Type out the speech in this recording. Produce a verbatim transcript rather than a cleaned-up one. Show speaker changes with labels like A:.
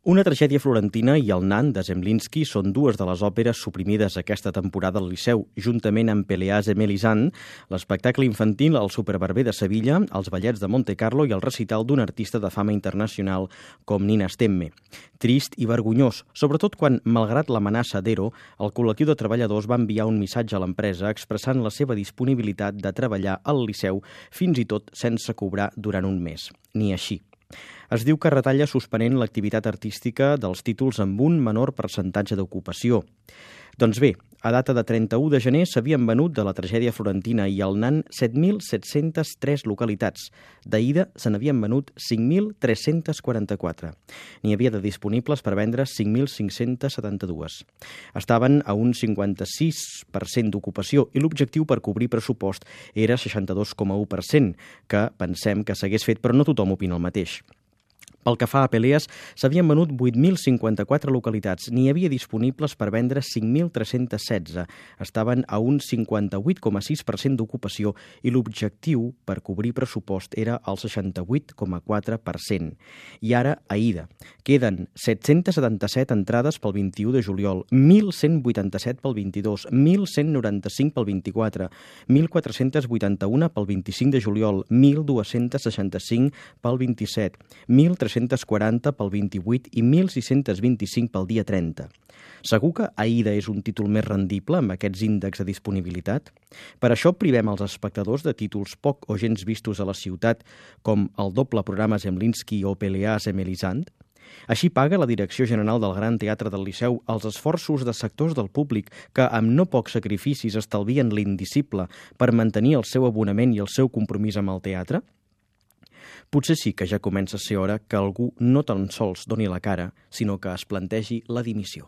A: Una tragèdia florentina i el nan de Zemlinsky són dues de les òperes suprimides aquesta temporada al Liceu, juntament amb Péléas et Mélisande, l'espectacle infantil El superbarber de Sevilla, els ballets de Monte Carlo i el recital d'un artista de fama internacional com Nina Stemme. Trist i vergonyós, sobretot quan, malgrat l'amenaça d'Ero, el col·lectiu de treballadors va enviar un missatge a l'empresa expressant la seva disponibilitat de treballar al Liceu fins i tot sense cobrar durant un mes. Ni així. Es diu que retalla suspenent l'activitat artística dels títols amb un menor percentatge d'ocupació. Doncs bé, a data de trenta-u de gener s'havien venut de la tragèdia florentina i el nan set mil set-centes tres localitats. D'Aida se n'havien venut cinc mil tres-cents quaranta-quatre. N'hi havia de disponibles per vendre cinc mil cinc-cents setanta-dos. Estaven a un cinquanta-sis per cent d'ocupació i l'objectiu per cobrir pressupost era seixanta-dos coma u per cent, que pensem que s'hagués fet, però no tothom opina el mateix. Pel que fa a Péléas, s'havien venut vuit mil cinquanta-quatre localitats. N'hi havia disponibles per vendre cinc mil tres-cents setze. Estaven a un cinquanta-vuit coma sis per cent d'ocupació i l'objectiu per cobrir pressupost era el seixanta-vuit coma quatre per cent. I ara, Aida. Queden set-cents setanta-set entrades pel vint-i-u de juliol, mil cent vuitanta-set pel vint-i-dos, mil cent noranta-cinc pel vint-i-quatre, mil quatre-cents vuitanta-un pel vint-i-cinc de juliol, mil dos-cents seixanta-cinc pel vint-i-set, mil tres-cents quaranta pel vint-i-vuit i mil sis-cents vint-i-cinc pel dia trenta. Segur que Aida és un títol més rendible amb aquests índexs de disponibilitat? Per això privem els espectadors de títols poc o gens vistos a la ciutat, com el doble programa Zemlinsky o Péléas et Mélisande? Així paga la Direcció General del Gran Teatre del Liceu els esforços de sectors del públic que, amb no pocs sacrificis, estalvien l'indicible per mantenir el seu abonament i el seu compromís amb el teatre? Potser sí que ja comença a ser hora que algú no tan sols doni la cara, sinó que es plantegi la dimissió.